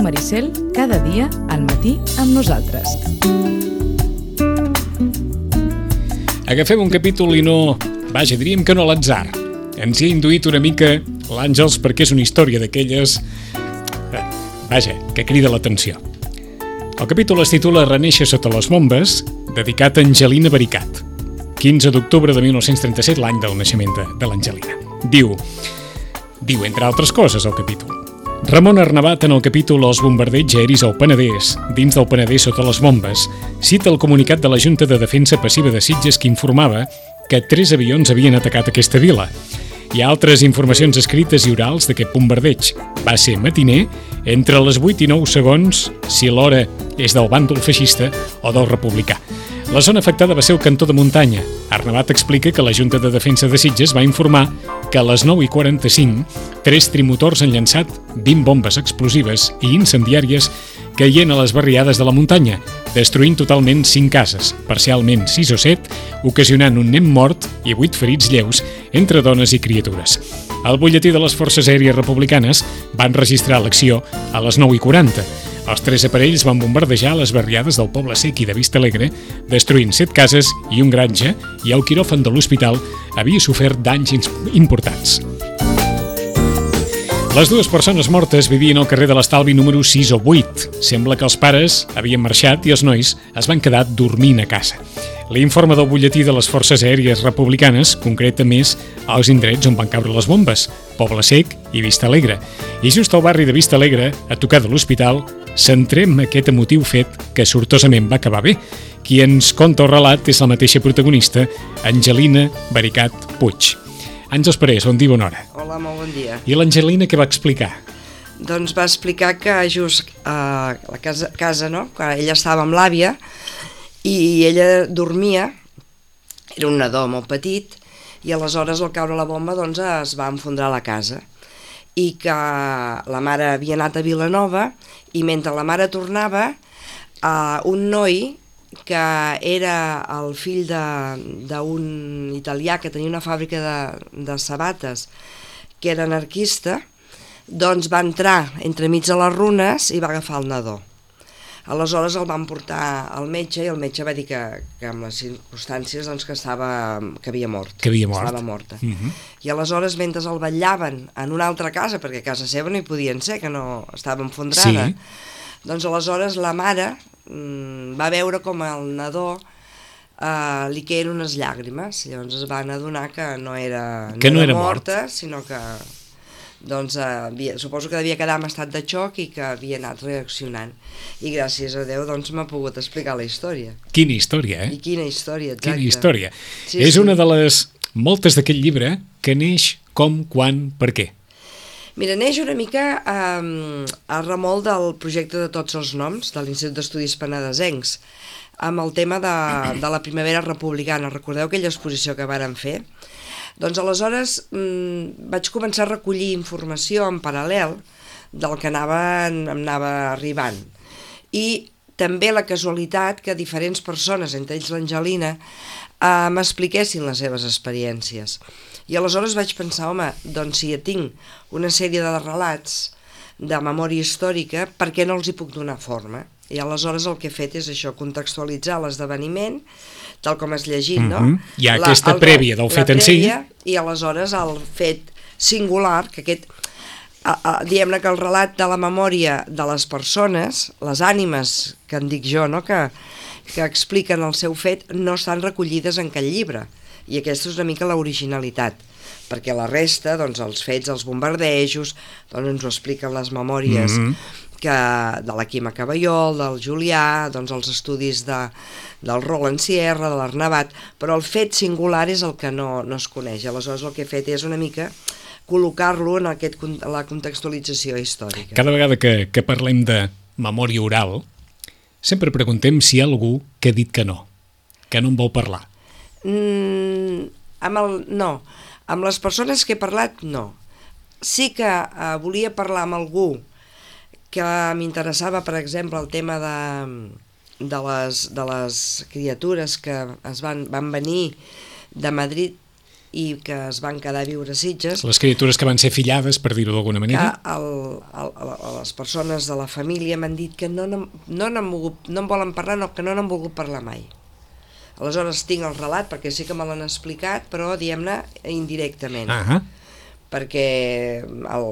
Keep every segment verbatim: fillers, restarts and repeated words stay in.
Maricel, cada dia al matí amb nosaltres. Agafem un capítol i no... Vaja, diríem que no a l'atzar. Ens hi ha induït una mica l'Àngels perquè és una història d'aquelles... Vaja, que crida l'atenció. El capítol es titula Renéixer sota les bombes, dedicat a Angelina Baricat. quinze d'octubre de mil nou-cents trenta-set, l'any del naixement de, de l'Angelina. Diu, diu, entre altres coses, el capítol. Ramon Arnabat, en el capítol Els bombardeigs aeris al Penedès, dins del Penedès sota les bombes, cita el comunicat de la Junta de Defensa Passiva de Sitges que informava que tres avions havien atacat aquesta vila. Hi ha altres informacions escrites i orals d'aquest bombardeig. Va ser matiner, entre les vuit i nou segons, si l'hora és del bàndol feixista o del republicà. La zona afectada va ser el cantó de muntanya. Arnabat explica que la Junta de Defensa de Sitges va informar que a les nou i quaranta-cinc tres trimotors han llançat vint bombes explosives i incendiàries caient a les barriades de la muntanya, destruint totalment cinc cases, parcialment sis o set, ocasionant un nen mort i vuit ferits lleus entre dones i criatures. El butlletí de les Forces Aèries Republicanes van registrar l'acció a les nou i quaranta. Els tres aparells van bombardejar les barriades del Poble Sec i de Vista Alegre, destruint set cases i un granja, i el quiròfan de l'hospital havia sofert danys importants. Les dues persones mortes vivien al carrer de l'Estalvi número sis o vuit. Sembla que els pares havien marxat i els nois es van quedar dormint a casa. L'informe del butlletí de les Forces Aèries Republicanes concreta més els indrets on van caure les bombes, Poble Sec i Vista Alegre. I just al barri de Vista Alegre, a tocar de l'hospital, centrem aquest emotiu fet que sortosament va acabar bé. Qui ens conta el relat és la mateixa protagonista, Angelina Baricat Puig. Àngels Parés, bon dia, bona hora. Hola, molt bon dia. I l'Angelina què va explicar? Doncs va explicar que just a la casa, casa no? Que ella estava amb l'àvia i ella dormia, era un nadó molt petit, i aleshores al caure la bomba doncs, es va enfondrar la casa. I que la mare havia anat a Vilanova i mentre la mare tornava, eh, un noi que era el fill d'un italià que tenia una fàbrica de, de sabates, que era anarquista, doncs va entrar entremig de les runes i va agafar el nadó. Aleshores el van portar al metge i el metge va dir que, que amb les circumstàncies doncs, que, estava, que havia mort. Que havia mort. Estava morta. Uh-huh. I aleshores, mentre el vetllaven en una altra casa, perquè a casa seva no hi podien ser, que no estava enfondrada, sí. Doncs aleshores la mare mmm, va veure com el nadó eh, li queien unes llàgrimes. Llavors es van adonar que no era, no que no era, era morta, mort. sinó que... doncs eh, havia, suposo que devia quedar en estat de xoc i que havia anat reaccionant i gràcies a Déu doncs m'ha pogut explicar la història. Quina història, eh? I quina història, exacte. Quina història. Sí, és sí. una de les moltes d'aquest llibre que neix com, quan, per què. Mira, neix una mica eh, a remol del projecte de Tots els Noms de l'Institut d'Estudis Penedesencs amb el tema de, de la primavera republicana. Recordeu aquella exposició que vàrem fer? Doncs aleshores mmm, vaig començar a recollir informació en paral·lel del que anava, em anava arribant. I també la casualitat que diferents persones, entre ells l'Angelina, eh, m'expliquessin les seves experiències. I aleshores vaig pensar, home, doncs si ja tinc una sèrie de relats de memòria històrica, per què no els hi puc donar forma? I aleshores el que he fet és això, contextualitzar l'esdeveniment, tal com has llegit, no? Mm-hmm. Hi ha la, aquesta el, prèvia del fet en si. I aleshores el fet singular, que aquest, a, a, diguem-ne que el relat de la memòria de les persones, les ànimes, que en dic jo, no? que, que expliquen el seu fet, no estan recollides en cap llibre. I aquesta és una mica l'originalitat, perquè la resta, doncs els fets, els bombardejos, doncs ens ho expliquen les memòries mm-hmm. que, de la Quima Caballol, del Julià, doncs els estudis de, del Roland Sierra, de l'Arnabat, però el fet singular és el que no, no es coneix. Aleshores el que he fet és una mica col·locar-lo en, aquest, en la contextualització històrica. Cada vegada que, que parlem de memòria oral, sempre preguntem si hi ha algú que ha dit que no, que no en vol parlar. Mm, amb el, no, amb les persones que he parlat, no. Sí que eh, volia parlar amb algú que m'interessava, per exemple, el tema de, de, les, de les criatures que es van, van venir de Madrid i que es van quedar a viure a Sitges. Les criatures que van ser fillades, per dir-ho d'alguna manera. Que el, el, el, les persones de la família m'han dit que no, no, no, n'han volgut, no en volen parlar, no, que no n'han volgut parlar mai. Aleshores tinc el relat, perquè sí que me l'han explicat, però diguem-ne indirectament. Ah, perquè el,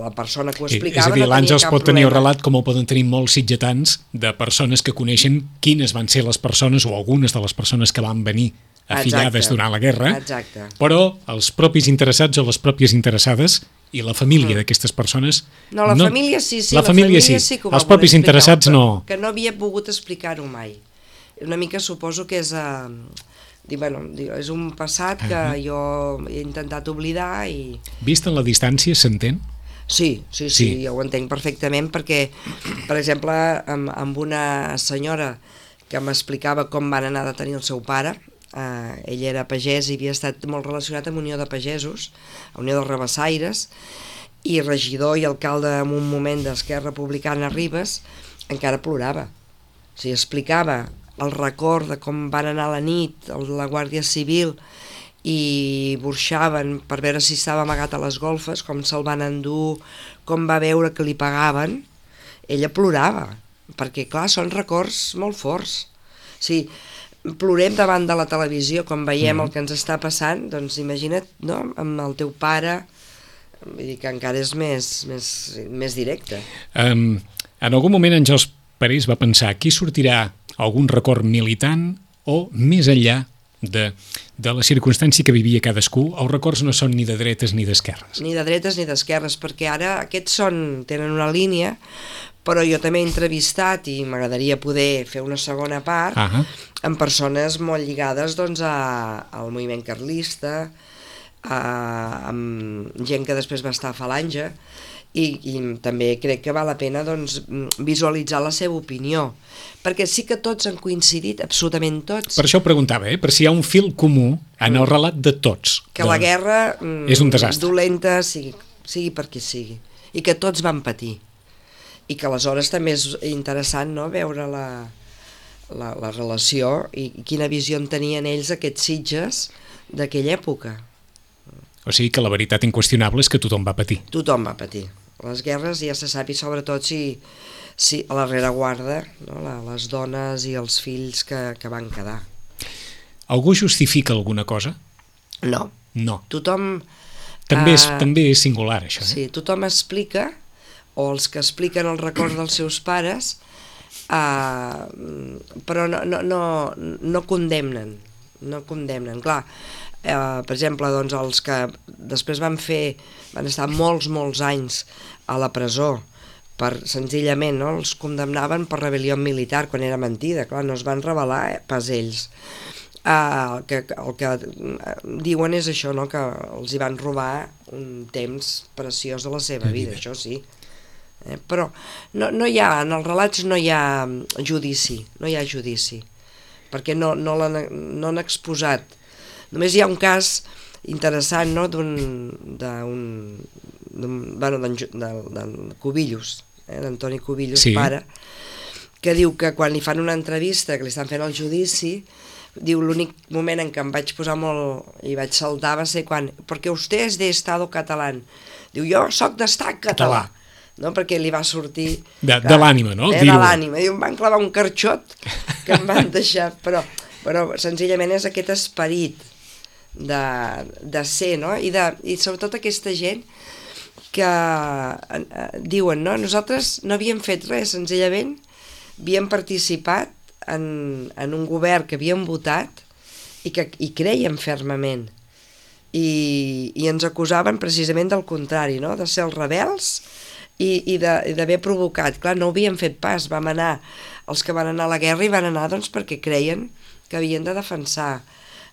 la persona que ho és explicava a dir, no tenia l'Àngels cap pot tenir el problema. relat com el poden tenir molts sitgetans de persones que coneixen quines van ser les persones o algunes de les persones que van venir afillades Exacte. durant la guerra, Exacte. però els propis interessats o les pròpies interessades i la família mm. d'aquestes persones... No, la no, família sí, sí, la, la família, família sí, sí que ho va els propis voler explicar, interessats no... Que no havia pogut explicar-ho mai. Una mica suposo que és... Uh, dir, bueno, és un passat que uh -huh. jo he intentat oblidar i... Vist en la distància, s'entén? Sí, sí, sí, sí, jo ho entenc perfectament perquè, per exemple, amb, amb una senyora que m'explicava com van anar a detenir el seu pare, eh, ell era pagès i havia estat molt relacionat amb Unió de Pagesos, a Unió de Rabassaires, i regidor i alcalde en un moment d'Esquerra Republicana a Ribes, encara plorava. O sigui, explicava el record de com van anar a la nit la Guàrdia Civil i burxaven per veure si estava amagat a les golfes, com se'l van endur, com va veure que li pagaven. Ella plorava, perquè clar, són records molt forts. O sigui, plorem davant de la televisió quan veiem mm. el que ens està passant, doncs imagina't, no?, amb el teu pare, vull dir que encara és més, més, més directe. Um, en algun moment Àngels Parés va pensar, aquí sortirà algun record militant o més enllà de, de la circumstància que vivia cadascú, els records no són ni de dretes ni d'esquerres. Ni de dretes ni d'esquerres, perquè ara aquests són, tenen una línia, però jo també he entrevistat i m'agradaria poder fer una segona part uh-huh. amb persones molt lligades doncs, a, al moviment carlista, a, amb gent que després va estar a Falange, i, i també crec que val la pena doncs, visualitzar la seva opinió, perquè sí que tots han coincidit, absolutament tots. Per això ho preguntava, eh? Per si hi ha un fil comú en el relat de tots. Que de... la guerra és un desastre. Dolenta sigui, sigui per qui sigui, i que tots van patir. I que aleshores també és interessant, no?, veure la, la, la relació i quina visió en tenien ells aquests Sitges d'aquella època. O sigui que la veritat inqüestionable és que tothom va patir. Tothom va patir. Les guerres ja se sap, i sobretot si, si a la rereguarda, no? la, les dones i els fills que, que van quedar. Algú justifica alguna cosa? No. No. Tothom... També és, eh, també és singular, això. Eh? Sí, tothom explica, o els que expliquen el record dels seus pares, eh, però no, no, no, no condemnen. No condemnen. Clar, eh, per exemple, doncs, els que després van fer, van estar molts, molts anys a la presó, per senzillament, no? Els condemnaven per rebel·lió militar, quan era mentida, clar, no es van rebel·lar eh, pas ells. Uh, el, que, el que diuen és això, no? Que els hi van robar un temps preciós de la seva vida, això sí. Eh, però no, no hi ha, en els relats no hi ha judici, no hi ha judici, perquè no, no l'han no han exposat. Només hi ha un cas interessant, no?, d'un bueno, d'en Cubillos, eh, d'Antoni Cubillos, sí. pare, que diu que quan li fan una entrevista, que li estan fent el judici, diu, l'únic moment en què em vaig posar molt i vaig saltar va ser quan, perquè vostè és d'estado catalán, diu, jo soc d'estat català, no? Perquè li va sortir de, de l'ànima, no? Eh, de l'ànima, diu, em van clavar un carxot que em van deixar, però, però senzillament és aquest esperit de, de ser, no? I, de, i sobretot aquesta gent que eh, diuen, no? Nosaltres no havíem fet res, senzillament havíem participat En, en un govern que havíem votat i que hi creiem fermament, i, i ens acusaven precisament del contrari, no?, de ser els rebels i, i d'haver provocat. Clar, no ho havíem fet pas, vam anar, els que van anar a la guerra i van anar doncs perquè creien que havien de defensar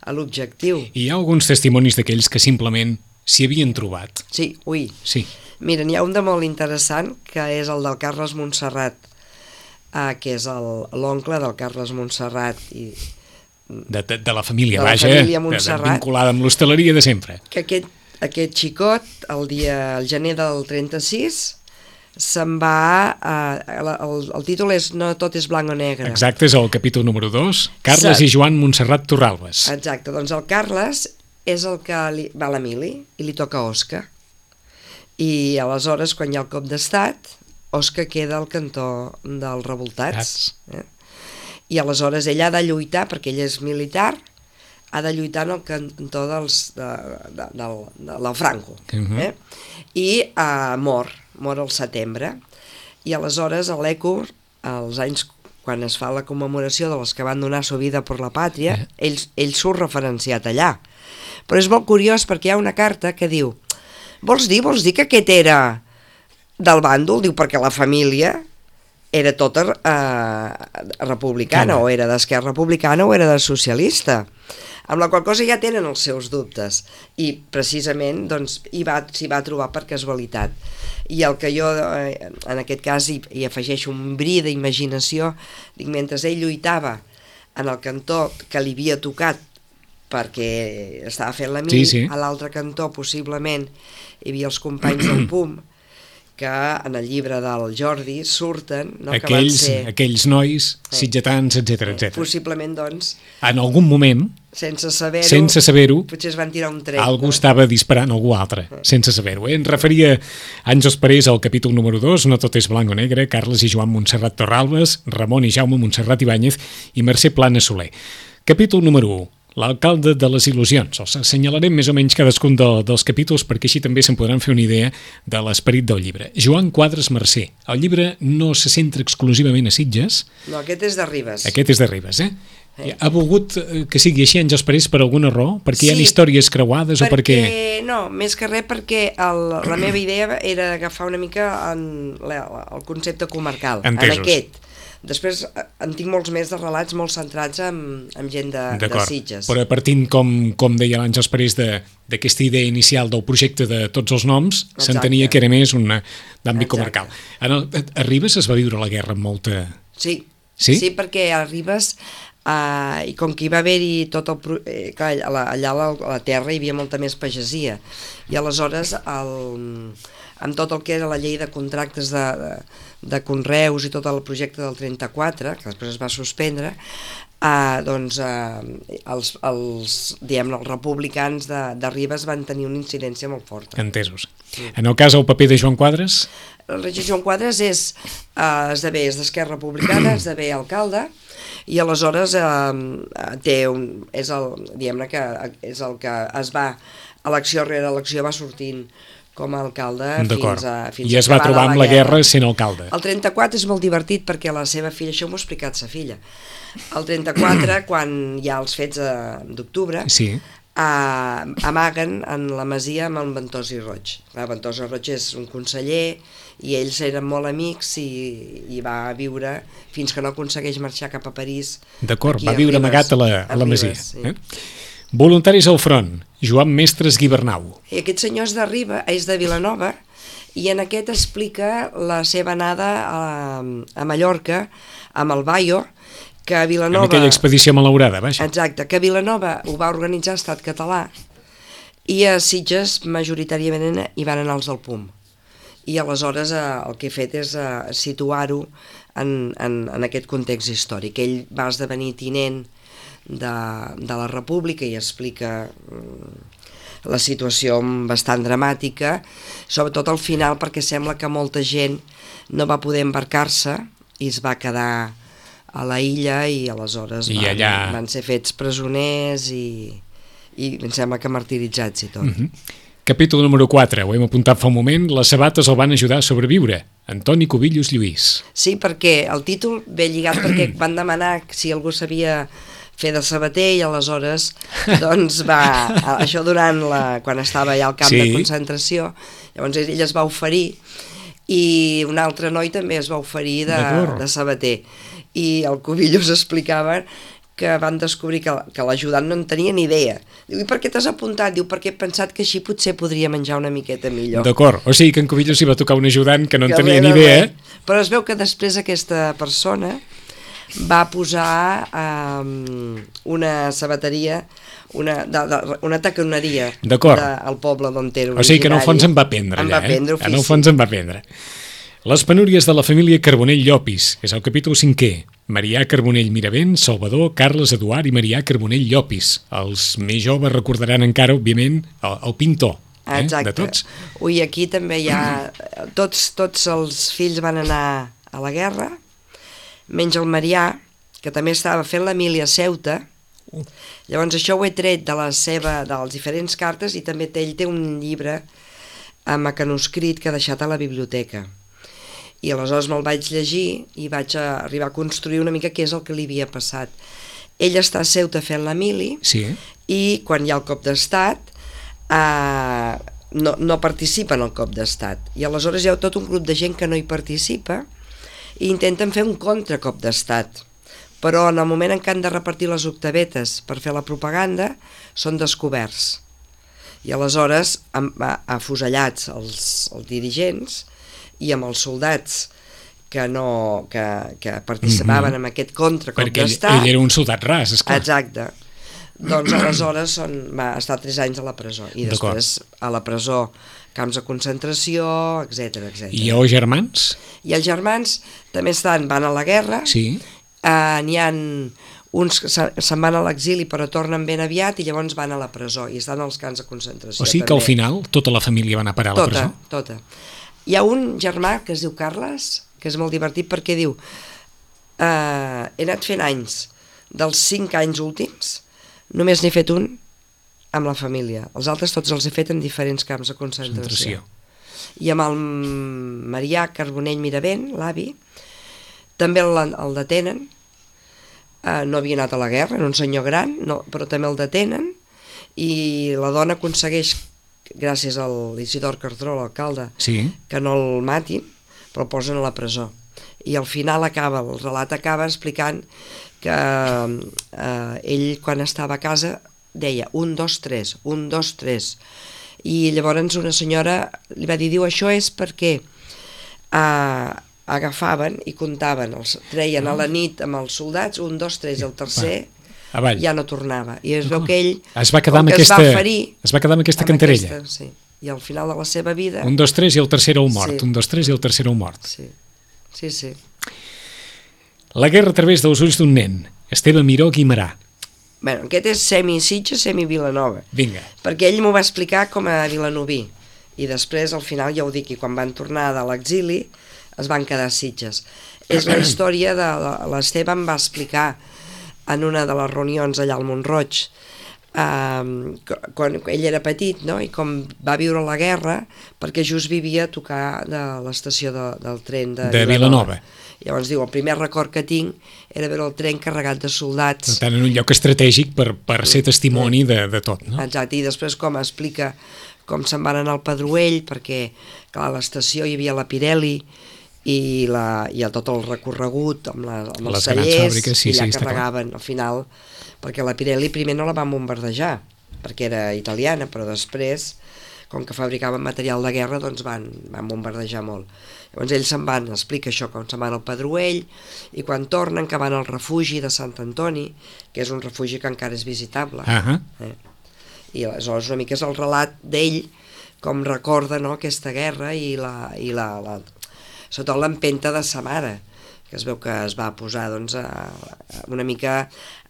l'objectiu. I hi ha alguns testimonis d'aquells que simplement s'hi havien trobat. Sí, ui. Sí. Mira, n'hi ha un de molt interessant, que és el del Carles Montserrat, Uh, que és l'oncle del Carles Montserrat i de, de, de la família, de la vaja, família Montserrat, vinculada amb l'hostaleria de sempre. Que aquest, aquest xicot, el dia el gener del trenta-sis, se'n va, uh, el, el títol és No tot és blanc o negre. Exacte, és el capítol número dos, Carles Se... i Joan Montserrat Torralbes. Exacte, doncs el Carles és el que li, va a l'Emili i li toca a Oscar. I aleshores, quan hi ha el cop d'estat, Oscar queda al cantó dels revoltats. Eh? I aleshores ell ha de lluitar, perquè ell és militar, ha de lluitar en el cantó dels, de, de, de, de la Franco. Uh-huh. Eh? I uh, mor, mor al setembre. I aleshores a l'Eco, als anys quan es fa la commemoració de les que van donar su vida per la pàtria, eh. ell, ell surt referenciat allà. Però és molt curiós perquè hi ha una carta que diu: vols dir, vols dir que aquest era del bàndol? Diu, perquè la família era tota eh, republicana, o era d'esquerra republicana o era de socialista. Amb la qual cosa ja tenen els seus dubtes. I precisament doncs, hi va, s'hi va trobar per casualitat. I el que jo, eh, en aquest cas, hi, hi afegeixo un bri d'imaginació, dic, mentre ell lluitava en el cantó que li havia tocat perquè estava fent la mili, sí, sí. a l'altre cantó possiblement hi havia els companys del P U M, que en el llibre del Jordi surten, no, aquells, que van ser... aquells nois, eh, sitgetans, etcètera, etcètera. Possiblement, doncs... En algun moment, sense saber-ho, sense saber-ho, potser es van tirar un tret. algú no? estava disparant algú altre, eh. sense saber-ho. Eh? Em referia anys després al capítol número dos, No tot és blanc o negre, Carles i Joan Montserrat Torralbes, Ramon i Jaume Montserrat Ibáñez i Mercè Plana Soler. Capítol número u. L'alcalde de les il·lusions. Els assenyalarem més o menys cadascun de, dels capítols perquè així també se'n podran fer una idea de l'esperit del llibre. Joan Quadres Mercè. El llibre no se centra exclusivament a Sitges. No, aquest és de Ribes. Aquest és de Ribes, eh? eh. Ha volgut que sigui així anys després per alguna raó? Perquè sí, hi ha històries creuades perquè, o perquè... No, més que res perquè el, la meva idea era agafar una mica en, la, el concepte comarcal. Entesos. En aquest. Després en tinc molts més de relats molt centrats en, en gent de, de Sitges. Però partint, com, com deia l'Àngels Parés, d'aquesta idea inicial del projecte de tots els noms, s'entenia que era més un d'àmbit comarcal. El, a Ribes es va viure la guerra amb molta... Sí, sí? sí perquè a Ribes, eh, i com que hi va haver-hi tot el... Eh, clar, allà a la, a la terra hi havia molta més pagesia. I aleshores, el, amb tot el que era la llei de contractes de... de de conreus i tot el projecte del trenta-quatre, que després es va suspendre, eh, doncs eh, els, els, diguem, els republicans de, de Ribes van tenir una incidència molt forta. Entesos. Sí. En el cas, el paper de Joan Quadres? El rei Joan Quadres és, eh, esdevé, és d'Esquerra Republicana, esdevé alcalde, i aleshores eh, té un, és el, diguem-ne que és el que es va, elecció rere elecció va sortint com a alcalde fins a, fins i es va trobar amb la guerra sent alcalde. El trenta-quatre és molt divertit perquè la seva filla, això m'ho ha explicat sa filla, el trenta-quatre, quan hi ha els fets d'octubre, sí. eh, amaguen en la masia amb en Ventós i Roig. Clar, Ventós i Roig és un conseller i ells eren molt amics i, i va viure fins que no aconsegueix marxar cap a París. D'acord, va viure Ribes, amagat a la, a la masia. Ribes, sí. eh? Voluntaris al front, Joan Mestres Guibernau. I aquest senyor és de Riba, és de Vilanova, i en aquest explica la seva anada a, a Mallorca, amb el Bayo, que a Vilanova... En aquella expedició malaurada, vaja. Exacte, que a Vilanova ho va organitzar Estat Català, i a Sitges majoritàriament hi van anar els del P U M. I aleshores eh, el que he fet és eh, situar-ho en, en, en aquest context històric. Ell va esdevenir tinent De, de la República i explica mm, la situació bastant dramàtica, sobretot al final perquè sembla que molta gent no va poder embarcar-se i es va quedar a la illa i aleshores I van, allà... van ser fets presoners i, i em sembla que martiritzats i tot. Mm-hmm. Capítol número quatre, ho hem apuntat fa un moment, les sabates el van ajudar a sobreviure. Antoni Cubillos Lluís. Sí, perquè el títol ve lligat perquè van demanar si algú sabia fer de sabater i aleshores doncs va, això durant la, quan estava allà al camp sí. de concentració, llavors ell es va oferir i un altre noi també es va oferir de, de sabater i el Cubillos explicava que van descobrir que, que l'ajudant no en tenia ni idea. Diu, i per què t'has apuntat? Diu, perquè he pensat que així potser podria menjar una miqueta millor. D'acord, o sigui que en Cubillos hi va tocar un ajudant que no en tenia ni idea. Però es veu que després aquesta persona va posar um, una sabateria, una, de, de, una taconeria de, al poble d'on era originari. O sigui que en el fons en va aprendre en allà, va aprendre eh? En el fons en va aprendre. Les penúries de la família Carbonell Llopis, és el capítol cinquè. Marià Carbonell Miravent, Salvador, Carles Eduard i Marià Carbonell Llopis. Els més joves recordaran encara, òbviament, el, el pintor, eh, Exacte. de tots. Ui, aquí també hi ha... Tots, tots els fills van anar a la guerra, menys el Marià, que també estava fent la mili a Ceuta. Llavors això ho he tret de la seva, de les diferents cartes, i també té, ell té un llibre amb mecanoscrit que ha deixat a la biblioteca. I aleshores me'l vaig llegir i vaig arribar a construir una mica què és el que li havia passat. Ell està a Ceuta fent la mili, Sí. i quan hi ha el cop d'estat eh, no, no participa en el cop d'estat. I aleshores hi ha tot un grup de gent que no hi participa i intenten fer un contracop d'estat. Però en el moment en què han de repartir les octavetes per fer la propaganda, són descoberts. I aleshores, afusellats els, els dirigents, i amb els soldats que, no, que, que participaven mm-hmm. en aquest contracop Perquè d'estat. ell, ell era un soldat ras, esclar. Exacte. Doncs aleshores són, va estar tres anys a la presó, i després a la presó camps de concentració, etcètera etcètera. I els germans? I els germans també estan, van a la guerra, Sí. eh, n'hi ha uns que se- se'n van a l'exili però tornen ben aviat i llavors van a la presó i estan als camps de concentració. O sigui que al final tota la família va anar a parar a la Tota, presó? tota. Hi ha un germà que es diu Carles, que és molt divertit perquè diu eh, he anat fent anys, dels cinc anys últims, només n'he fet un amb la família. Els altres tots els he fet en diferents camps de concentració. Concentració. I amb el Marià Carbonell Miravent, l'avi, també el, el detenen, eh, no havia anat a la guerra, era un senyor gran, no, però també el detenen, i la dona aconsegueix, gràcies a l'Isidor Cardró, l'alcalde, Sí. que no el matin, però el posen a la presó. I al final acaba, el relat acaba explicant que eh, ell quan estava a casa deia un, dos, tres, un, dos, tres, i llavors una senyora li va dir, diu, això és perquè eh, agafaven i comptaven, els treien a la nit amb els soldats, un, dos, tres, el tercer Avall. ja no tornava, i es veu que ell Es va quedar com amb que es aquesta, va ferir es va quedar amb aquesta amb cantarella. aquesta, sí. I al final de la seva vida Un, dos, tres i el tercer heu mort. Sí. Un, dos, tres i el tercer heu mort. sí, sí, sí. La guerra a través dels ulls d'un nen. Esteve Miró Guimarà. Bueno, aquest és semi-Sitges, semi-Vilanova, Vinga. perquè ell m'ho va explicar com a vilanoví, i després al final ja ho dic, i quan van tornar de l'exili es van quedar a Sitges. És la història de l'Esteve, em va explicar en una de les reunions allà al Montroig, eh, quan ell era petit, no? I com va viure la guerra, perquè just vivia a tocar de l'estació de, del tren de, De Vilanova. Llavors diu, el primer record que tinc era veure el tren carregat de Per soldats. tant, en un lloc estratègic per, per ser testimoni de, de tot, no? Exacte, i després com explica com se'n van anar al Pedroell, perquè clar, a l'estació hi havia la Pirelli i, la, i tot el recorregut amb, la, amb els Les grans tallers, fàbriques, sí, i allà sí, està clar. carregaven al final, perquè la Pirelli primer no la van bombardejar, perquè era italiana, però després, com que fabricaven material de guerra, doncs van, van bombardejar molt. Llavors ells se'n van, explica això, com se'n van al Pedroell, i quan tornen, que van al refugi de Sant Antoni, que és un refugi que encara és visitable. Ah, Eh? I aleshores una mica és el relat d'ell, com recorda, no, aquesta guerra i, la, i la, la, sobretot l'empenta de sa mare, que es veu que es va posar doncs, a, a una mica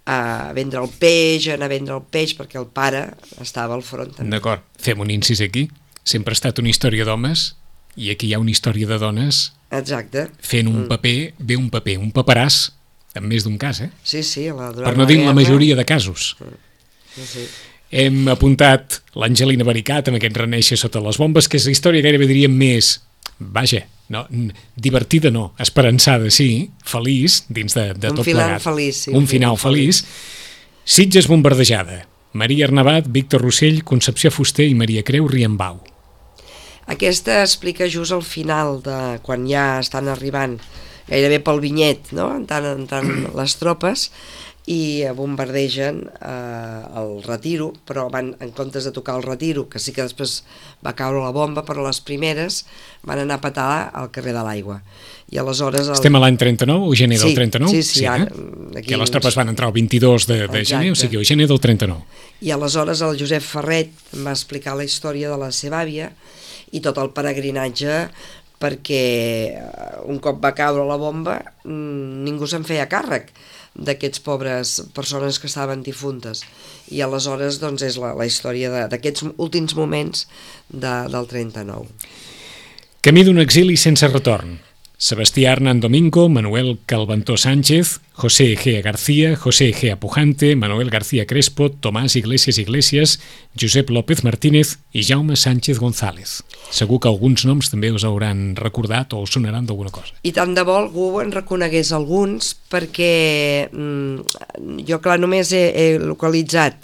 a vendre el peix, a anar a vendre el peix, perquè el pare estava al front també. d'acord. Fem un incís aquí. Sempre ha estat una història d'homes i aquí hi ha una història de dones Exacte. fent un Mm. paper, bé un paper, un paperàs, en més d'un cas, eh? Sí, sí. La, durant Per no dir la guerra, majoria de casos. Sí, sí. Hem apuntat l'Angelina Baricat amb aquest reneixer sota les bombes, que és la història gairebé diríem més, vaja, no, divertida no, esperançada sí, feliç, dins de, de Un tot final plegat. feliç, sí, un un final final feliç. Sitges bombardejada. Maria Arnabat, Víctor Rossell, Concepció Fuster i Maria Creu Riambau. Aquesta explica just al final, de quan ja estan arribant gairebé pel vinyet, no? entrant, entrant les tropes, i bombardegen eh, el Retiro, però van, en comptes de tocar el Retiro, que sí que després va caure la bomba, però les primeres van anar a petar al carrer de l'Aigua. I aleshores... El... Estem a l'any trenta-nou, o gener Sí, del trenta-nou? sí, sí, ara, eh? aquí Que les uns- tropes van entrar el vint-i-dos de, de gener, o Exacte. sigui, o gener del trenta-nou. I aleshores el Josep Ferret em va explicar la història de la seva àvia i tot el peregrinatge perquè un cop va caure la bomba ningú se'n feia càrrec d'aquests pobres persones que estaven difuntes, i aleshores doncs és la, la història d'aquests últims moments de, del trenta-nou. Camí d'un exili sense retorn. Sebastià Hernán Domingo, Manuel Calventó Sánchez, José Egea García, José Egea Pujante, Manuel García Crespo, Tomàs Iglesias Iglesias, Josep López Martínez i Jaume Sánchez González. Segur que alguns noms també us hauran recordat o us sonaran d'alguna cosa. I tant de bo algú en reconegués alguns, perquè mm, jo clar només he, he localitzat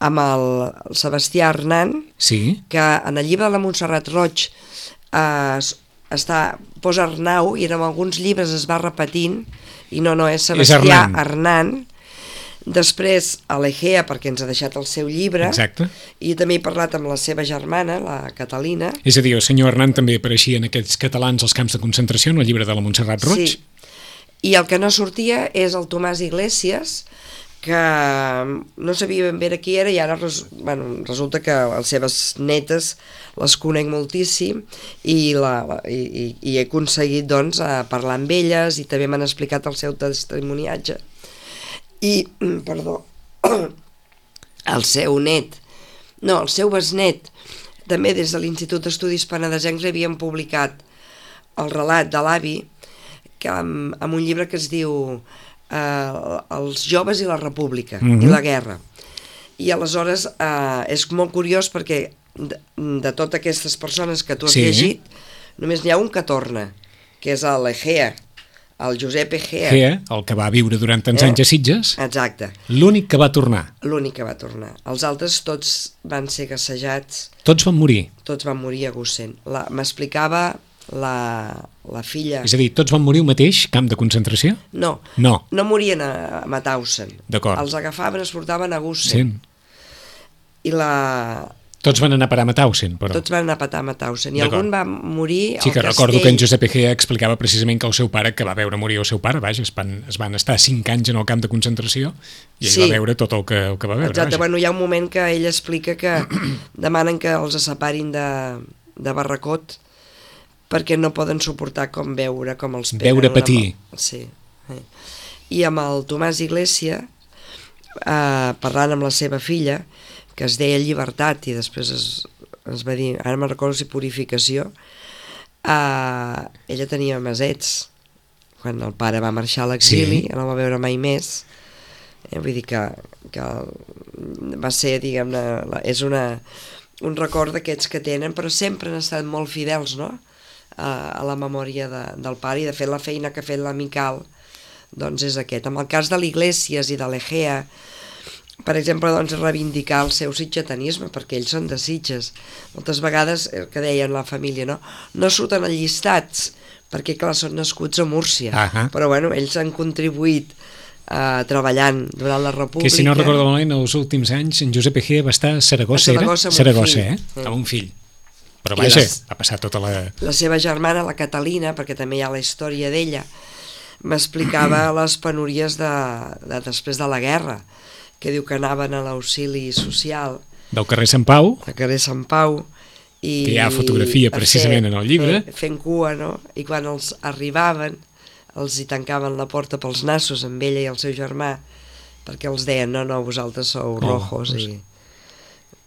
amb el, el Sebastià Hernán, sí? que en el llibre de la Montserrat Roig eh, està, posa Arnau, i en alguns llibres es va repetint, i no, no, és Sebastià és Hernán. Després a l'Egea, perquè ens ha deixat el seu llibre. Exacte. I també he parlat amb la seva germana, la Catalina. És a dir, el senyor Hernán també apareixia en aquests catalans als camps de concentració, en el llibre de la Montserrat Roig. Sí, i el que no sortia és el Tomàs Iglesias, que no sabia ben bé qui era, i ara bueno, resulta que les seves netes les conec moltíssim, i, la, la, i, i he aconseguit doncs parlar amb elles, i també m'han explicat el seu testimoniatge. I, perdó, el seu net, no, el seu besnet, també des de l'Institut d'Estudis Penedesencs havien publicat el relat de l'avi, que amb, amb un llibre que es diu eh, Els joves i la república, mm-hmm. i la guerra. I aleshores eh, és molt curiós perquè de, de totes aquestes persones que tu has sí. llegit, només n'hi ha un que torna, que és l'Egea, el Josep Egea. Egea, el que va viure durant tants eh? anys a Sitges. Exacte. L'únic que va tornar. L'únic que va tornar. Els altres tots van ser gassejats. Tots van morir. Tots van morir a Gussent. M'explicava la, la filla... És a dir, tots van morir al mateix camp de concentració? No, no, no morien a, a Mauthausen. D'acord. Els agafaven, es portaven a Gussent. Sí. I la... Tots van anar a parar a Mauthausen, però... Tots van anar a parar a Mauthausen, i algun va morir sí, al que castell... recordo que en Josep Egea explicava precisament que el seu pare, que va veure morir el seu pare, vaja, es van, es van estar cinc anys en el camp de concentració, i ell sí. va veure tot el que, el que va veure. Exacte, vaja. Bueno, hi ha un moment que ell explica que demanen que els separin de, de Barracot, perquè no poden suportar com veure, com els peguen. Veure patir. Una... Sí. I amb el Tomàs Iglesias, eh, parlant amb la seva filla, que es deia Llibertat, i després es, es va dir, ara me'n recordo si Purificació, eh, ella tenia mesets, quan el pare va marxar a l'exili, sí. no va veure mai més, eh, vull dir que, que va ser, diguem-ne, és una, un record d'aquests que tenen, però sempre han estat molt fidels, no?, a, a la memòria de, del pare, i de fet la feina que ha fet l'Amical doncs és aquest. En el cas de l'Iglesias i de l'Egea, per exemple, doncs, reivindicar el seu sitgetanisme, perquè ells són de Sitges. Moltes vegades, el que deien la família, no, no surten allistats, perquè clar, són nascuts a Múrcia, uh-huh. però bueno, ells han contribuït uh, treballant durant la República. Que si no recordo malament, els últims anys en Josep Egea va estar a Saragossa, a Saragossa, era? Saragossa, eh? Mm. Amb un fill. Però vaja, les, va passar tota la... La seva germana, la Catalina, perquè també hi ha la història d'ella, m'explicava les penúries de, de després de la guerra, que diu que anaven a l'auxili social. Del carrer Sant Pau. Del carrer Sant Pau. I, que hi ha fotografia precisament fer, en el llibre. Fent cua, no? I quan els arribaven, els hi tancaven la porta pels nassos amb ella i el seu germà, perquè els deien, no, no, vosaltres sou rojos. Oh, i,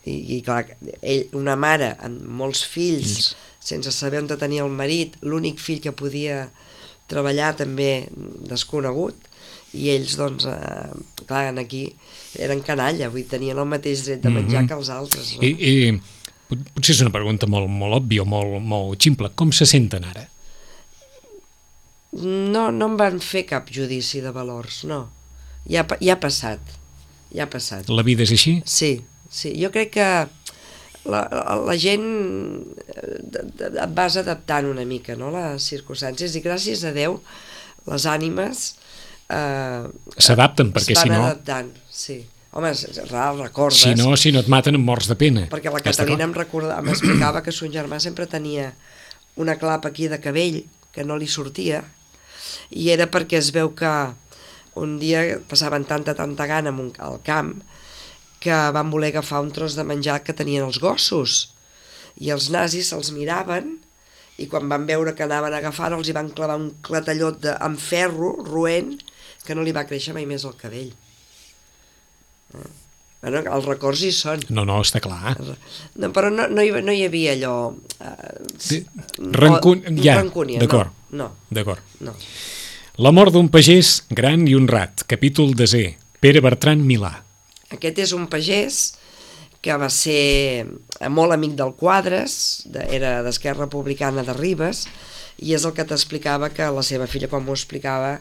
i, I clar, ell, una mare amb molts fills, mm. sense saber on tenia el marit, l'únic fill que podia treballar també desconegut, i ells, doncs, eh, clar, aquí eren canalla, vull dir, tenien el mateix dret de menjar mm-hmm. que els altres. No? I, i potser és una pregunta molt, molt òbvia o molt, molt ximple. Com se senten ara? No, no em van fer cap judici de valors, no. Ja, ja ha passat, ja ha passat. La vida és així? Sí, sí. Jo crec que la, la gent et vas adaptant una mica, no?, les circumstàncies, i gràcies a Déu les ànimes eh, s'adapten, perquè si no... adaptant, sí. Home, recordes... Si no, si no et maten amb morts de pena. Perquè la Catalina em recordava, m'explicava que son germà sempre tenia una clapa aquí de cabell que no li sortia, i era perquè es veu que un dia passaven tanta, tanta gana al camp que van voler agafar un tros de menjar que tenien els gossos, i els nazis se'ls miraven i quan van veure que anaven a agafar els hi van clavar un clatellot de, amb ferro, roent, que no li va créixer mai més el cabell. Eh? Bueno, els records hi són. No, no, està clar. No, però no, no, hi, no hi havia allò... Eh, Rancun... Ja, rancúnia, d'acord. No, D'acord. no. La mort d'un pagès gran i honrat, capítol desè, Pere Bertran Milà. Aquest és un pagès que va ser molt amic del Quadres, de, era d'Esquerra Republicana de Ribes, i és el que t'explicava que la seva filla, quan m'ho explicava,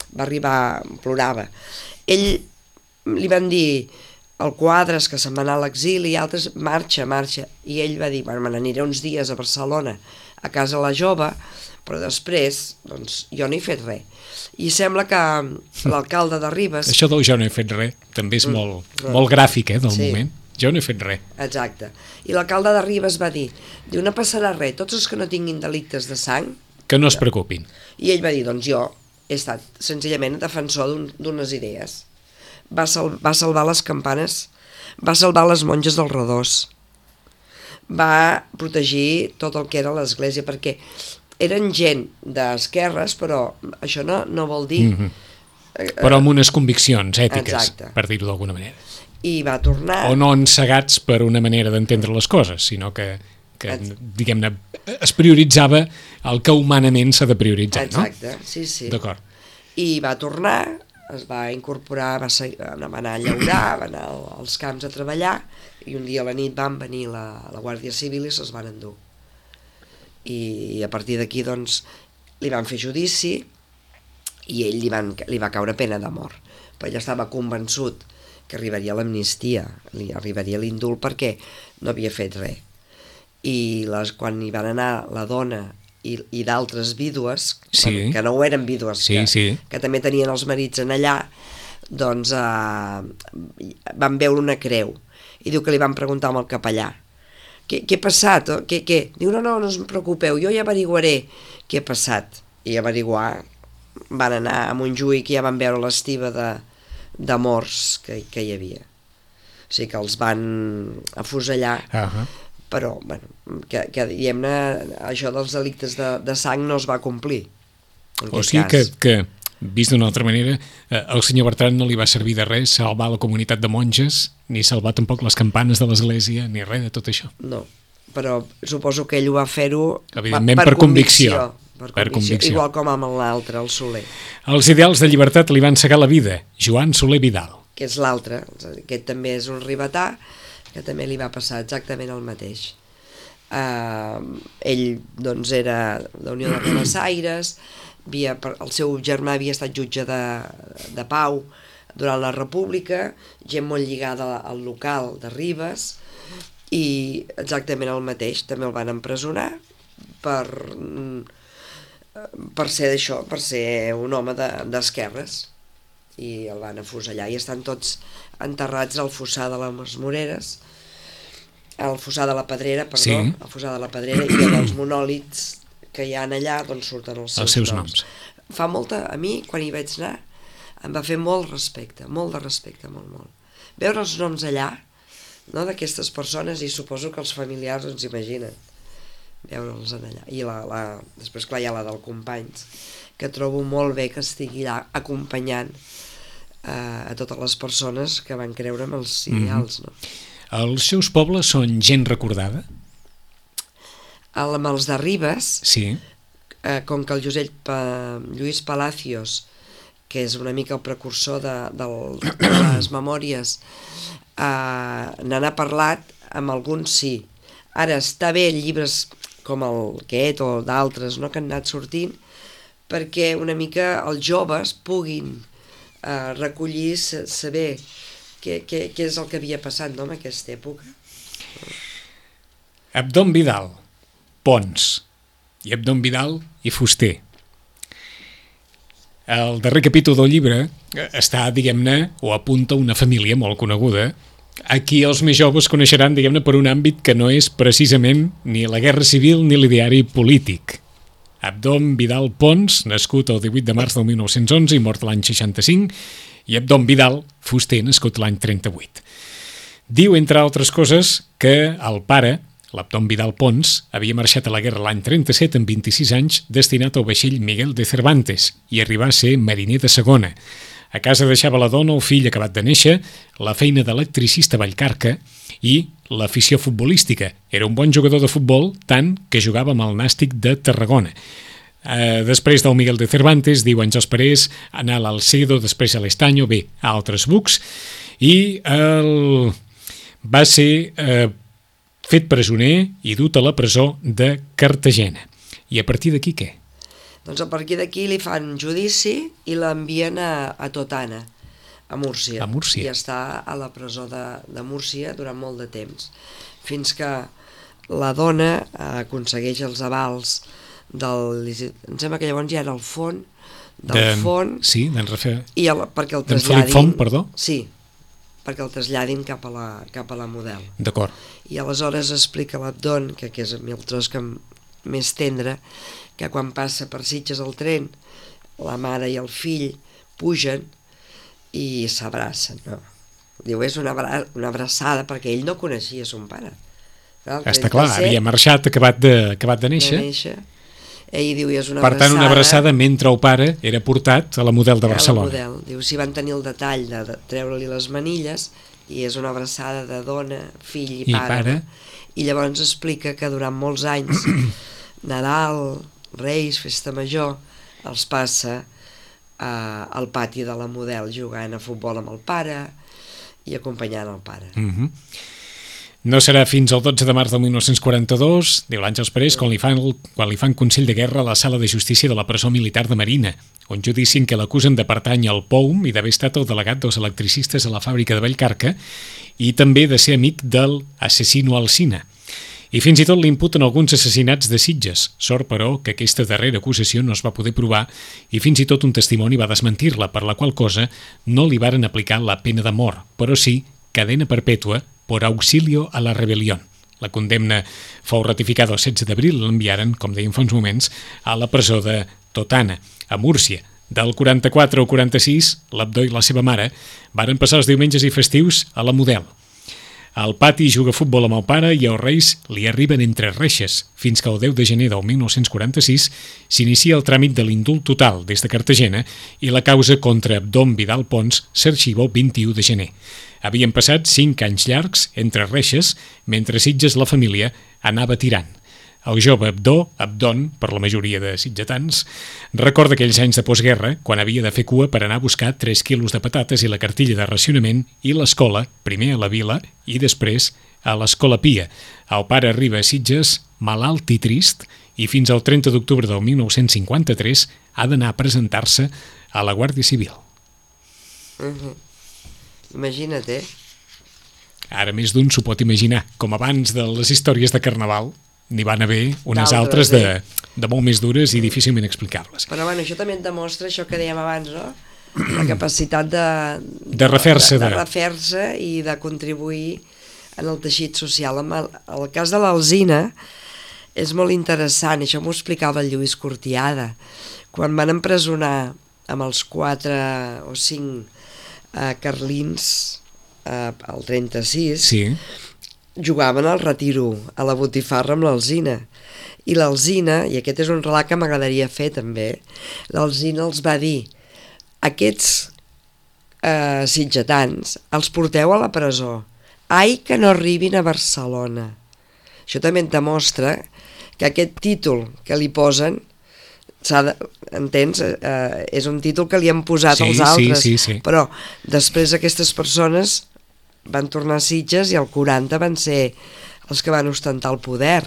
va arribar, plorava. Ell li van dir al Quadres que se'n va anar a l'exili i altres, marxa, marxa, i ell va dir, bueno, me n'aniré uns dies a Barcelona a casa la jove, però després, doncs, jo no he fet res. I sembla que l'alcalde de Ribes... Això del jo no he fet res també és mm, molt, mm. molt gràfic, eh, del sí. moment. Jo no he fet res. Exacte. I l'alcalde de Ribes va dir, diu, no passarà res, tots els que no tinguin delictes de sang... Que no es preocupin. I ell va dir, doncs jo he estat senzillament defensor d'unes idees. Va, sal va salvar les campanes, va salvar les monges dels redós, va protegir tot el que era l'església, perquè eren gent d'esquerres, però això no, no vol dir... Mm-hmm. eh, però amb unes conviccions ètiques, exacte. Per dir-ho d'alguna manera. I va tornar... O no encegats per una manera d'entendre les coses, sinó que, que diguem-ne, es prioritzava el que humanament s'ha de prioritzar, exacte, no? sí, sí. D'acord. I va tornar... es va incorporar, va, seguir, va anar a llaurar, va anar als camps a treballar, i un dia a la nit van venir la, la Guàrdia Civil i se'ls van endur. I, i a partir d'aquí, doncs, li van fer judici i ell li, van, li va caure pena de mort. Però ell estava convençut que arribaria l'amnistia, li arribaria l'indult perquè no havia fet res. I les, quan hi van anar la dona i, i d'altres vídues, sí. bueno, que no ho eren vídues, sí, que, sí. que també tenien els marits en allà, doncs eh, van veure una creu. I diu que li van preguntar amb el capellà, què, què ha passat? Què, què? Diu, no, no, no us preocupeu, jo ja averiguaré què ha passat. I averiguar, van anar a Montjuïc i ja van veure l'estiva de, de morts que, que hi havia. O sigui que els van afusellar. Uh-huh. Però, bueno, que, que diguem-ne, això dels delictes de, de sang no es va complir. O sigui que, que, vist d'una altra manera, eh, el senyor Bertran no li va servir de res salvar la comunitat de monges, ni salvar tampoc les campanes de l'església, ni res de tot això. No, però suposo que ell ho va fer-ho evidentment per, per convicció. Per per convicció, convicció. Igual com amb l'altre, el Soler. Els ideals de llibertat li van cegar la vida, Joan Soler Vidal. Que és l'altre, aquest també és un ribetà, que també li va passar exactament el mateix. Uh, ell doncs era de Unió de Rabassaires, havia, el seu germà havia estat jutge de, de pau durant la República, gent molt lligada al local de Ribes, i exactament el mateix, també el van empresonar per, per ser d'això, per ser un home d'esquerres, i el van afusellar, i estan tots enterrats al fossar de les Moreres, al fossar de la Pedrera, perdó, sí. Al fossar de la Pedrera, i els monòlits que hi ha allà, doncs surten els seus, els seus noms. noms. Fa molta, a mi, quan hi vaig anar, em va fer molt respecte, molt de respecte, molt, molt. Veure els noms allà, no, d'aquestes persones, i suposo que els familiars ens imaginen veure'ls allà. I la, la, després, clar, hi ha la del Companys, que trobo molt bé que estigui allà acompanyant eh, a totes les persones que van creure en els ideals, no? Els seus pobles són gent recordada? El, amb els de Ribes, sí. eh, com que el Josep pa, Lluís Palacios, que és una mica el precursor de, de, de les memòries, eh, n'han parlat, amb alguns sí. Ara està bé llibres com el aquest o d'altres, no, que han anat sortint, perquè una mica els joves puguin eh, recollir, saber què, què, què és el que havia passat, no, en aquesta època. Abdon Vidal, Pons, i Abdon Vidal i Fuster. El darrer capítol del llibre està, diguem-ne, o apunta una família molt coneguda, a qui els més joves coneixeran, diguem-ne, per un àmbit que no és precisament ni la guerra civil ni l'ideari polític. Abdon Vidal Pons, nascut el divuit de març del mil nou-cents onze i mort l'any seixanta-cinc, i Abdon Vidal Fuster, nascut l'any trenta-vuit. Diu, entre altres coses, que el pare l'Abdón Vidal Pons, havia marxat a la guerra l'any trenta-set amb vint-i-sis anys, destinat al vaixell Miguel de Cervantes, i arribà a ser mariner de segona. A casa deixava la dona, el fill acabat de néixer, la feina d'electricista a Vallcarca i l'afició futbolística. Era un bon jugador de futbol, tant que jugava amb el Nàstic de Tarragona. Uh, després del Miguel de Cervantes, diu Àngels Parés, anar a l'Alcedo, després a l'Estaño, bé, a altres bucs, i el... va ser eh, fet presoner i dut a la presó de Cartagena. I a partir d'aquí què? Doncs a partir d'aquí li fan judici i l'envien a, a Totana, a Múrcia. A Múrcia. I està a la presó de, de Múrcia durant molt de temps, fins que la dona aconsegueix els avals del... Em sembla que llavors ja era el font, del de, font... Sí, d'en Rafael... I el, perquè el traslladin... traslladin... Font, perdó? Sí, perquè el traslladin cap a la, cap a la Model. D'acord. I aleshores explica l'Abdón, que, que és el tros que més tendre, que quan passa per Sitges el tren, la mare i el fill pugen i s'abracen, no? Diu, és una, abra una abraçada, perquè ell no coneixia son pare. Clar, està clar, havia marxat acabat de, acabat de néixer. De néixer. Ell diu, és una per tant, abraçada... una abraçada mentre el pare era portat a la Model de Barcelona. A la Model. Diu, si van tenir el detall de, de treure-li les manilles, i és una abraçada de dona, fill i, I pare. pare. I llavors explica que durant molts anys, Nadal, Reis, Festa Major, els passa eh, al pati de la Model jugant a futbol amb el pare i acompanyant el pare. Mhm. No serà fins al dotze de març de mil nou-cents quaranta-dos, diu l'Àngels Parés, quan li, fan, quan li fan Consell de Guerra a la Sala de Justícia de la Presó Militar de Marina, un judici en què l'acusen de pertany al P O U M i d'haver estat el delegat dels electricistes a la fàbrica de Vallcarca i també de ser amic del assassino Alsina. I fins i tot li imputen alguns assassinats de Sitges. Sort, però, que aquesta darrera acusació no es va poder provar i fins i tot un testimoni va desmentir-la, per la qual cosa no li varen aplicar la pena de mort, però sí cadena perpètua por auxilio a la rebelión. La condemna fou ratificada el setze d'abril i l'enviaren, com dèiem fa uns moments, a la presó de Totana, a Múrcia. Del quaranta-quatre al quaranta-sis, l'Abdó i la seva mare varen passar els diumenges i festius a la Model. Al pati juga futbol amb el pare i els Reis li arriben entre reixes, fins que el deu de gener del mil nou-cents quaranta-sis s'inicia el tràmit de l'indult total des de Cartagena i la causa contra Abdón Vidal Pons s'arxiva el vint-i-u de gener. Havien passat cinc anys llargs entre reixes, mentre Sitges la família anava tirant. El jove Abdó, Abdón, per la majoria de sitgetans, recorda aquells anys de postguerra, quan havia de fer cua per anar a buscar tres quilos de patates i la cartilla de racionament i l'escola, primer a la vila i després a l'Escola Pia. El pare arriba a Sitges, malalt i trist, i fins al trenta d'octubre del mil nou-cents cinquanta-tres ha d'anar a presentar-se a la Guàrdia Civil. Uh-huh. Imagina't, eh? Ara més d'un s'ho pot imaginar. Com abans de les històries de Carnaval, n'hi van haver unes altres D'altres, de, eh? de molt més dures i difícilment explicables. Però bueno, això també et demostra això que dèiem abans, no? La capacitat de... De refer-se. De, de, De... de refer-se i de contribuir en el teixit social. En el, el cas de l'Alsina és molt interessant, això m'ho explicava el Lluís Cortiada. Quan van empresonar amb els quatre o cinc eh, carlins eh, el trenta-sis, Sí. jugaven al retiro, a la botifarra amb l'Alsina. I l'Alsina, i aquest és un relat que m'agradaria fer també, l'Alsina els va dir: aquests eh, sitgetans els porteu a la presó, ai que no arribin a Barcelona. Això també et demostra que aquest títol que li posen, de, entens, eh, és un títol que li han posat Sí, els altres, sí, sí, sí. però després aquestes persones van tornar a Sitges i el quaranta van ser els que van ostentar el poder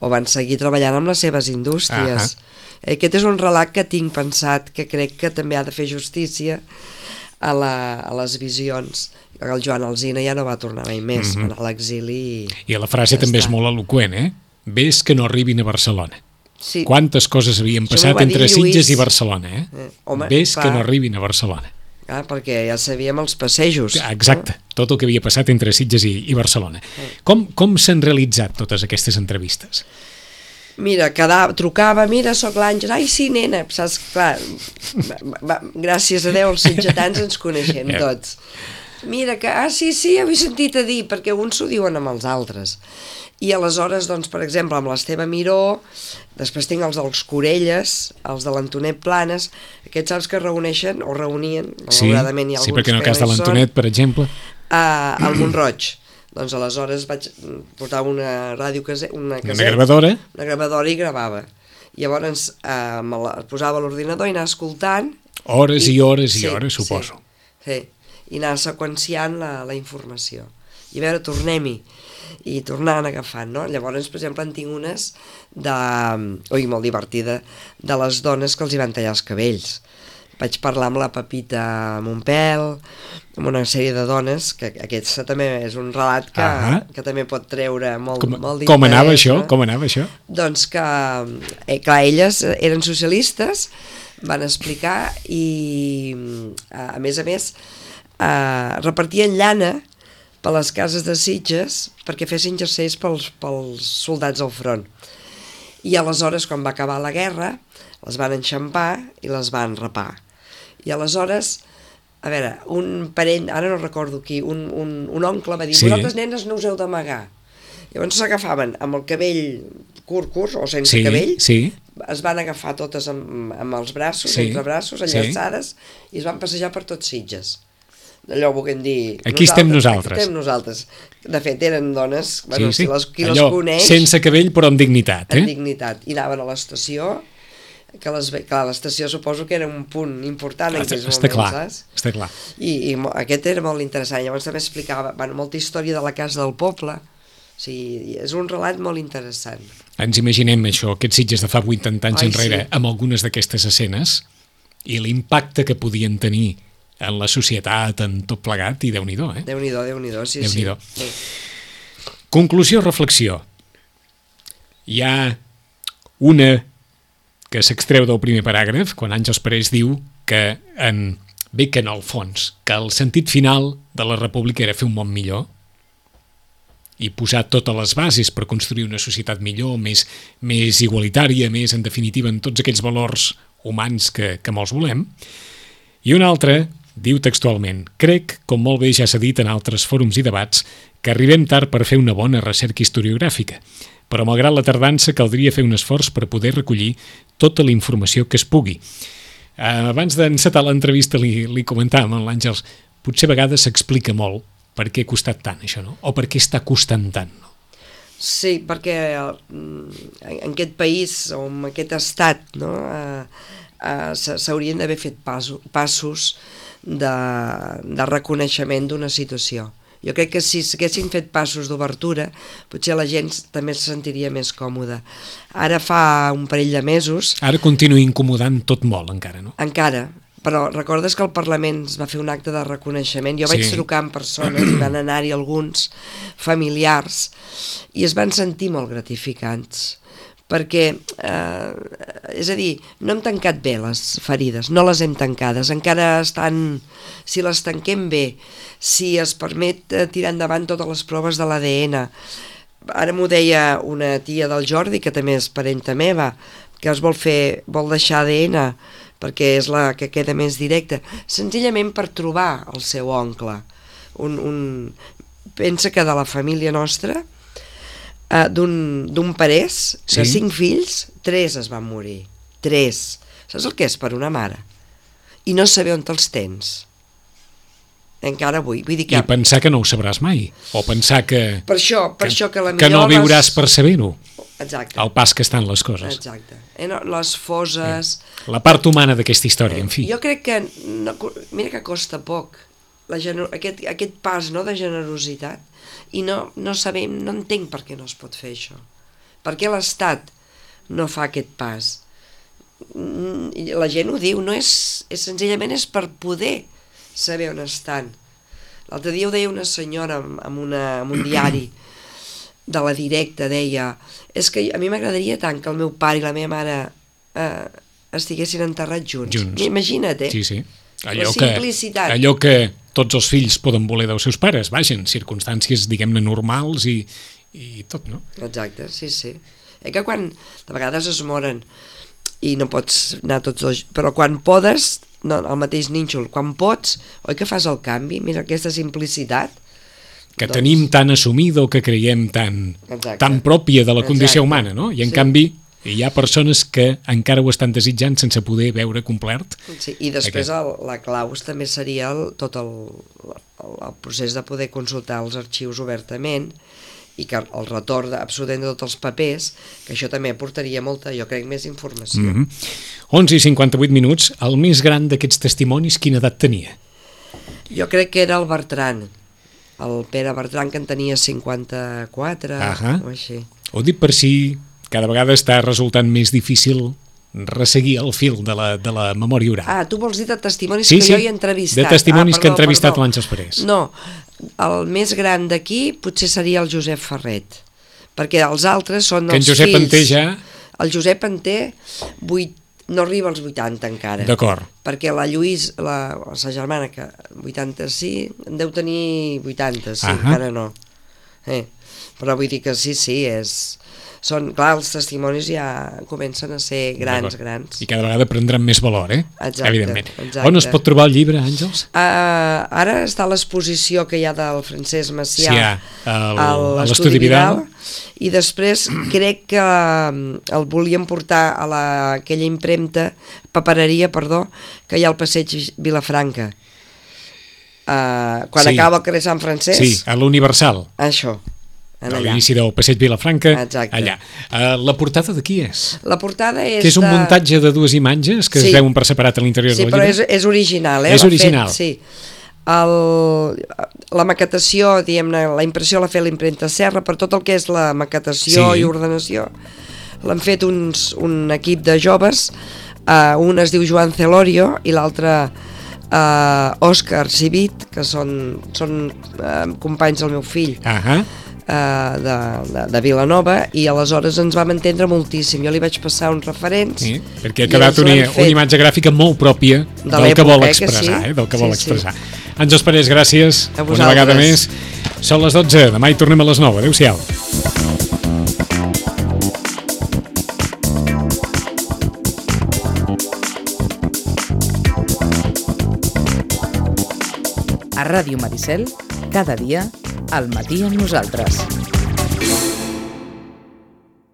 o van seguir treballant amb les seves indústries. Uh-huh. Aquest és un relat que tinc pensat, que crec que també ha de fer justícia a, la, a les visions. El Joan Alsina ja no va tornar mai més, uh-huh. va anar a l'exili i... I la frase ja també està. és molt eloqüent, eh? Ves que no arribin a Barcelona. Sí. Quantes coses havien Això passat m'ho va dir entre Lluís. Sitges i Barcelona, eh? Eh, home, Ves clar. que no arribin a Barcelona. Ah, perquè ja sabíem els passejos. Exacte, tot el que havia passat entre Sitges i, i Barcelona. Com, com s'han realitzat totes aquestes entrevistes? Mira, quedava, trucava, mira, sóc l'Àngel, ai sí, nena, saps, clar, va, va, gràcies a Déu els sitgetans ens coneixem tots. Mira que, ah, sí, sí, ho he sentit a dir, perquè uns s'ho diuen amb els altres. I aleshores, doncs, per exemple, amb l'Esteve Miró, després tinc els dels Corelles, els de l'Antonet Planes, aquests saps que reuneixen, o reunien, sí, malauradament hi ha alguns sí, perquè en el cas de no l'Antonet, per exemple, a, al Montroig. Doncs aleshores vaig portar una ràdio case, una caseta, una gravadora, una gravadora i gravava. Llavors eh, me la posava a l'ordinador i anava escoltant hores i, i hores i sí, hores, suposo. Sí, sí, i anava seqüenciant la, la informació. I a veure, tornem-hi. I tornant agafant, no? Llavors, per exemple, en tinc unes de... Ui, molt divertida, de les dones que els hi van tallar els cabells. Vaig parlar amb la Pepita Montpel, amb una sèrie de dones, que aquest també és un relat que, uh-huh. que també pot treure molt, com, molt d'interès. Com anava això? No? Com anava això? Doncs que, eh, clar, elles eren socialistes, van explicar i, a més a més, eh, repartien llana per les cases de Sitges perquè fessin jerseis pels, pels soldats al front. I aleshores, quan va acabar la guerra, les van enxampar i les van rapar. I aleshores, a veure, un parent, ara no recordo qui, un, un, un oncle va dir, sí. Vosaltres nenes no us heu d'amagar. Llavors s'agafaven amb el cabell curt, curt, o sense sí, cabell, sí. es van agafar totes amb, amb els braços, sí. entre braços, enllaçades, sí. i es van passejar per tots Sitges. Allò volguem dir... Aquí estem nosaltres. Aquí estem nosaltres. De fet, eren dones, bueno, sí, sí. Si les, qui allò, les coneix... sense cabell, però amb dignitat. Eh? Amb dignitat. I anaven a l'estació, que les, clar, l'estació suposo que era un punt important en aquells moments, clar, saps? Està clar. I, i aquest era molt interessant. Llavors també explicava bueno, molta història de la casa del poble. O sigui, és un relat molt interessant. Ens imaginem això, aquests Sitges de fa vuitanta anys Ai, enrere, sí. amb algunes d'aquestes escenes, i l'impacte que podien tenir en la societat, en tot plegat, i Déu-n'hi-do, eh? Déu-n'hi-do, Déu-n'hi-do, sí, Déu-n'hi-do. sí. Conclusió, reflexió. Hi ha una que s'extreu del primer paràgraf, quan Àngels Parés diu que en, bé que en el fons, que el sentit final de la república era fer un món millor i posar totes les bases per construir una societat millor, més, més igualitària, més, en definitiva, en tots aquells valors humans que, que molts volem. I una altra diu textualment: crec, com molt bé ja s'ha dit en altres fòrums i debats, que arribem tard per fer una bona recerca historiogràfica, però malgrat la tardança caldria fer un esforç per poder recollir tota la informació que es pugui. Uh, abans d'encetar l'entrevista li, li comentàvem amb l'Àngels, potser a vegades s'explica molt per què ha costat tant això, no? O per què està costant tant, no? Sí, perquè en aquest país o en aquest estat, no, eh, eh, s'haurien d'haver fet passos, passos de, de reconeixement d'una situació. Jo crec que si s'haguessin fet passos d'obertura, potser la gent també se sentiria més còmoda. Ara fa un parell de mesos... Ara continua incomodant tot molt, encara, no? Encara, però recordes que el Parlament es va fer un acte de reconeixement? Jo vaig sí. trucar amb persones, i van anar-hi alguns familiars, i es van sentir molt gratificants, perquè, eh, és a dir, no hem tancat bé les ferides, no les hem tancades, encara estan, si les tanquem bé, si es permet tirar endavant totes les proves de l'A D N. Ara m'ho deia una tia del Jordi, que també és parenta meva, que es vol fer, vol deixar A D N, perquè és la que queda més directa, senzillament per trobar el seu oncle. Un, un... Pensa que de la família nostra, Uh, d'un parés, sí. de cinc fills, tres es van morir. Tres. Saps el que és per una mare? I no saber on te'ls tens. Encara avui. Vull dir que... I pensar que no ho sabràs mai. O pensar que... Per això, per que, això que la que no viuràs les... per saber-ho. Exacte. Al pas que estan les coses. Exacte. Eh, no, les foses... Eh. La part humana d'aquesta història, eh, en fi. Jo crec que... No, mira que costa poc. La gener... aquest, aquest pas, no, de generositat. I no, no sabem, no entenc per què no es pot fer això. Per què l'Estat no fa aquest pas? La gent ho diu, no és, és senzillament és per poder saber on estan. L'altre dia ho deia una senyora amb, una, amb un diari de la Directa, deia, és que a mi m'agradaria tant que el meu pare i la meva mare eh, estiguessin enterrats junts. junts. Imagina't, eh? Sí, sí. Allò la simplicitat. Que, allò que tots els fills poden voler dels seus pares, vaja, en circumstàncies, diguem-ne, normals i, i tot, no? Exacte, sí, sí. Eh que quan de vegades es moren i no pots anar tots els... Però quan podes, no, el mateix nínxol. Quan pots, oi que fas el canvi? Mira aquesta simplicitat. Que doncs... tenim tan assumida o que creiem tan, tan pròpia de la condició Exacte. humana, no? I en sí. canvi hi ha persones que encara ho estan desitjant sense poder veure complert. Sí, i després el, la clau també seria el, tot el, el, el procés de poder consultar els arxius obertament i que el retorn absolutament de tots els papers, que això també aportaria molta, jo crec, més informació. Mm-hmm. onze i cinquanta-vuit minuts, el més gran d'aquests testimonis, quina edat tenia? Jo crec que era el Bertran, el Pere Bertran, que en tenia cinquanta-quatre uh-huh. o així. Ho dic per si cada vegada està resultant més difícil resseguir el fil de la, de la memòria oral. Ah, tu vols dir de testimonis sí, que sí, jo he entrevistat. de testimonis ah, perdó, que he entrevistat perdó. l'Àngels Parés. No, el més gran d'aquí potser seria el Josep Ferret, perquè els altres són que els en Josep fills. en té ja... El Josep en té vuit, no arriba als vuitanta encara. D'acord. Perquè la Lluís, la, la sa germana, que vuitanta-cinc, en deu tenir vuitanta, sí, uh-huh. encara no. Eh, però vull dir que sí, sí, és... Són, clar, els testimonis ja comencen a ser grans, grans. I cada vegada prendran més valor, eh? Exacte, evidentment. Exacte. On es pot trobar el llibre, Àngels? Uh, ara està l'exposició que hi ha del Francesc Macià sí, el, a l'Estudi Vidal. I després crec que el volíem portar a la, aquella impremta, papereria, perdó, que hi ha al passeig Vilafranca. Uh, quan sí. acaba el carrer Sant Francesc. Sí, a l'Universal. Això. A l'inici del passeig Vilafranca, Exacte. allà. Uh, la portada de qui és? La portada és que és un de... muntatge de dues imatges que sí. es veuen per separat a l'interior sí, del llibre? Sí, però és, és original. Eh? És original. Fet, sí. El, la maquetació, diguem-ne, la impressió l'ha fet l'impremta Serra, per tot el que és la maquetació sí. i ordenació. L'han fet uns, un equip de joves, uh, un es diu Joan Celorio i l'altre uh, Òscar Civit, que són, són uh, companys del meu fill. Ahà. Uh, de, de, de Vilanova, i aleshores ens vam entendre moltíssim. Jo li vaig passar uns referents sí, perquè ha quedat una, una imatge gràfica molt pròpia de del que vol expressar, eh, que sí. eh, del que sí, vol expressar. Sí. Àngels Parés, gràcies una vegada més. Són les dotze, demà hi tornem a les nou. Adéu-siau. A Ràdio Maricel, cada dia, al matí amb nosaltres.